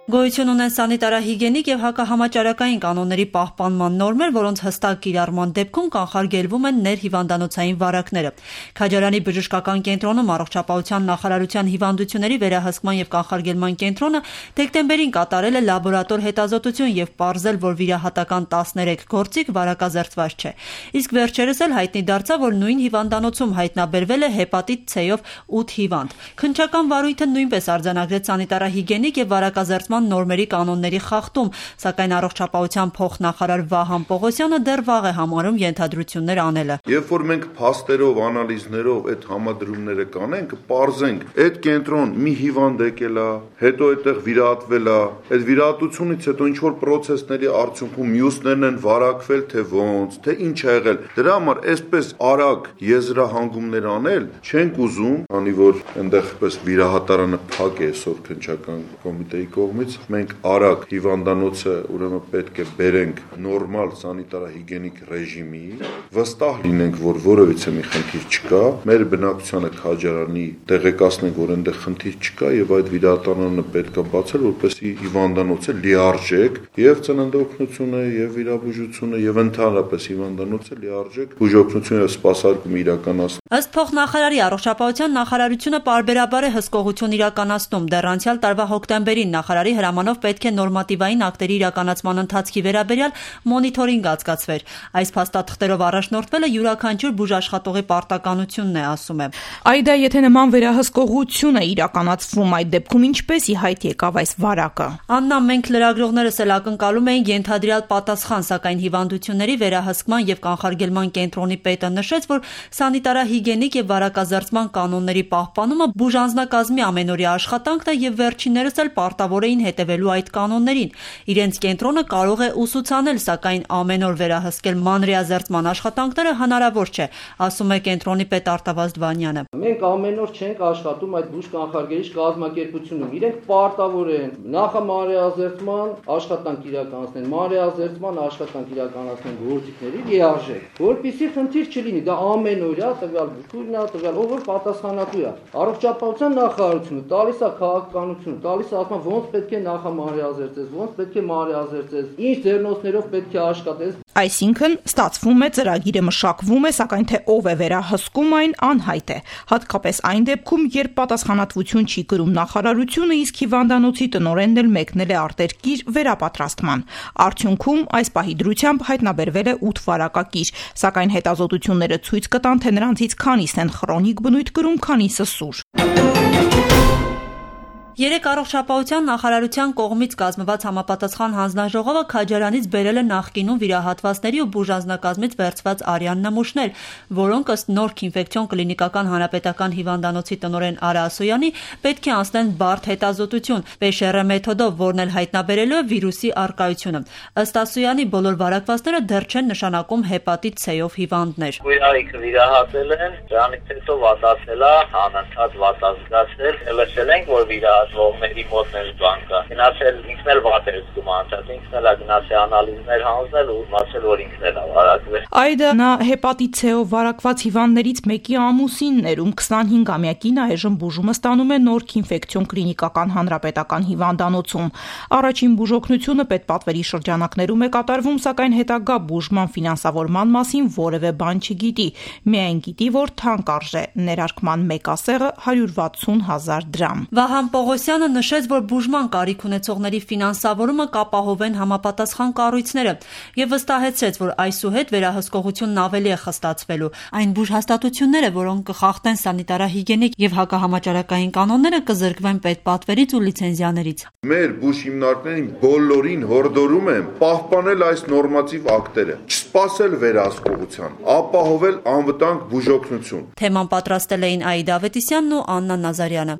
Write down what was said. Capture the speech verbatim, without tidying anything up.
Գոյություն ունեն սանիտարահիգենիկ եւ հակահամաճարակային կանոնների պահպանման նորմեր, որոնց հստակ կիրառման դեպքում կանխարգելվում են ներհիվանդանոցային վարակները։ Քաջարյանի բժշկական կենտրոնում առողջապահության նախարարության հիվանդությունների վերահսկման եւ կանխարգելման կենտրոնը դեկտեմբերին կատարել է լաբորատոր հետազոտություն եւ պարզել, որ վիրահատական տասներեք գործիք վարակազերծված չէ։ Իսկ վերջերս էլ հայտնի դարձավ, որ նույն հիվանդանոցում հայտնաբերվել է հեպատիտ C-ով ութ հիվանդ։ Քննչական վարույթը նույնպես արձանագրեց սանիտարահիգենիկ եւ վարակազերծման նորմերի կանոնների խախտում, սակայն առողջապահության փոխնախարար Վահան Պողոսյանը դեռ վաղ է համարում ենթադրություններ անելը։ Երբ որ մենք փաստերով, անալիզներով այդ համադրումները կանենք, կպարզենք, այդ կենտրոն մի հիվանդ եկել է, հետո այդտեղ վիրահատվել է, այդ վիրահատությունից հետո ինչ որ process-ների արդյունքում մյուսներն են վարակվել, թե ոնց, թե ինչ ա եղել։ Դրա համար այսպես արագ եզրահանգումներ անել չենք ուզում, քանի որ այնտեղ պես վիրահատարանը փակ է այսօր քննչական կոմիտեի կողմից, մենք արագ հիվանդանոցը ուրեմն պետք է բերենք նորմալ սանիտարահիգենիկ ռեժիմի, վստահ լինենք, որ որևիցե մի խնդիր չկա, մեր բնակչությանը Քաջարյանի տեղեկացնենք, որ այնտեղ խնդիր չկա եւ այդ վիրահատարանը պետք է բացել, որպեսզի հիվանդանոցը լիարժեք եւ ծննդօգնությունը եւ վիրաբուժությունը եւ ընդհանրապես հիվանդանոցը լիարժեք բուժօգնություն եւ սպասարկում իրականացնի։ Ըստ փոխնախարարի առողջապահության նախարարությունը պարբերաբար է հսկողություն իրականացնում։ Դեռ անցյալ տարվա հոկտեմբերին նախարարի հրամանով պետք է նորմատիվային ակտերի իրականացման ընթացքի վերաբերյալ մոնիթորինգ անցկացվեր։ Այս փաստաթղթերով առաջնորդվելը յուրաքանչյուր բուժաշխատողի պարտականությունն է, ասում է։ Այդա, եթե նման վերահսկողություն է իրականացվում, այդ դեպքում ինչպես ի հայտ եկավ այս վարակը։ Աննա, մենք լրագրողներս էլ ակնկալում էինք ենթադրյալ պատասխան, սակայն հիվանդությունների վերահսկման եւ կանխարգելման կենտրոնի պետը նշեց, որ սանիտարահիգենիկ եւ վարակազերծման կանոնների պահպանումը բուժանձնակազմի ամենօրյա աշխատանքն է եւ վերջիններս էլ պարտավոր էին հետևելու այդ կանոններին։ Իրենց կենտրոնը կարող է ուսուցանել, սակայն ամեն օր վերահսկել մանրեազերծման աշխատանքները հնարավոր չէ, ասում է կենտրոնի պետ Արտավազդ Վանյանը։ Մենք ամեն օր չենք աշխատում այդ բուժ կանխարգելիչ կազմակերպությունում։ Իրենք պարտավոր են նախամանրեազերծման աշխատանք իրականացնել, մանրեազերծման աշխատանք իրականացնել գործիքների լիարժեք, որպեսզի խնդիր չլինի։ Դա ամենօրյա տվյալ բուժքույրն է, տվյալ ով որ պատասխանատու է։ Առողջապահության նախարարությունը տալիս է քաղաքականություն, տալիս է ասում ոնց պետք է նախամանրեազերծես, ոնց պետք է մանրեազերծես, ինչ ձեռնոցներով պետք է աշխատես։ Այսինքն ստացվում է ծրագիրը մշակվում է, սակայն թե ով է վերահսկում այն անհայտ է։ Հատկապես այն դեպքում, երբ պատասխանատվություն չի կրում նախարարությունը, իսկ հիվանդանոցի տնօրենն էլ մեկնել է արտերկիր վերապատրաստման։ Արդյունքում այս պահի դրությամբ հայտնաբերվել է ութ վարակակիր, սակայն հետազոտությունները ցույց կտան, թե նրանցից քանիսն են խրոնիկ բնույթ կրում, քանիսը սուր։ Երեք առողջապահության նախարարության կողմից կազմված համապատասխան հանձնաժողովը Քաջարյանից բերել է նախկինում վիրահատվածների ու բուժանձնակազմից վերցված արյան նմուշներ, որոնք ըստ Նորք ինֆեկցիոն կլինիկական հանրապետական հիվանդանոցի տնօրեն Արա Ասոյանի պետք է անցնեն բարդ հետազոտություն Պե Շ Ռ մեթոդով, որն էլ հայտնաբերելու է վիրուսի առկայությունը։ Ըստ Ասոյանի բոլոր վարակվածները դեռ չեն նշանակում հեպատիտ C-ով հիվանդներ։ Կույրայքը վիրահատել են, դրանից հետո վատացել է, անընդհատ վատազգացել, լսել ենք, որ վիրահատել ողմերի մոտ մեր բանկա գնացել ինքն էլ վատ էր զգում անցած ինքն էլ գնացել անալիզներ հանձնել ու իմացել որ ինքն էլ վարակվել։ Այդա նա հեպատիտ C-ով վարակված հիվանդներից մեկի ամուսինն էր, ում քսանհինգամյակին այժմ բուժումը ստանում է Նորք ինֆեկցիոն կլինիկական հանրապետական հիվանդանոցում։ Առաջին բուժօգնությունը պետպատվերի շրջանակներում է կատարվում, սակայն հետագա բուժման ֆինանսավորման մասին որևէ բան չգիտի։ Միայն գիտի, որ թանկարժ է, ներարկման մեկ ասեղը հարյուր վաթսուն հազար դրամ։ Վահան Պողոսյանը նշեց, որ բուժման կարիք ունեցողների ֆինանսավորումը կապահովեն համապատասխան կառույցները եւ վստահեցրեց, որ այսուհետ վերահսկողությունն ավելի է խստացվելու։ Այն բուժհաստատությունները, որոնք կխախտեն սանիտարահիգենիկ եւ հակահամաճարակային կանոնները, կզրկվեն պետպատվերից ու լիցենզիաներից։ Մեր բուժ հիմնարկներին բոլորին հորդորում եմ պահպանել այս նորմատիվ ակտերը, չսպասել վերահսկողության, ապահովել անվտանգ բուժօգնություն։ Թեման պատրաստել էին Աիդա Ավետիսյանն ու Աննա Նազարյանը։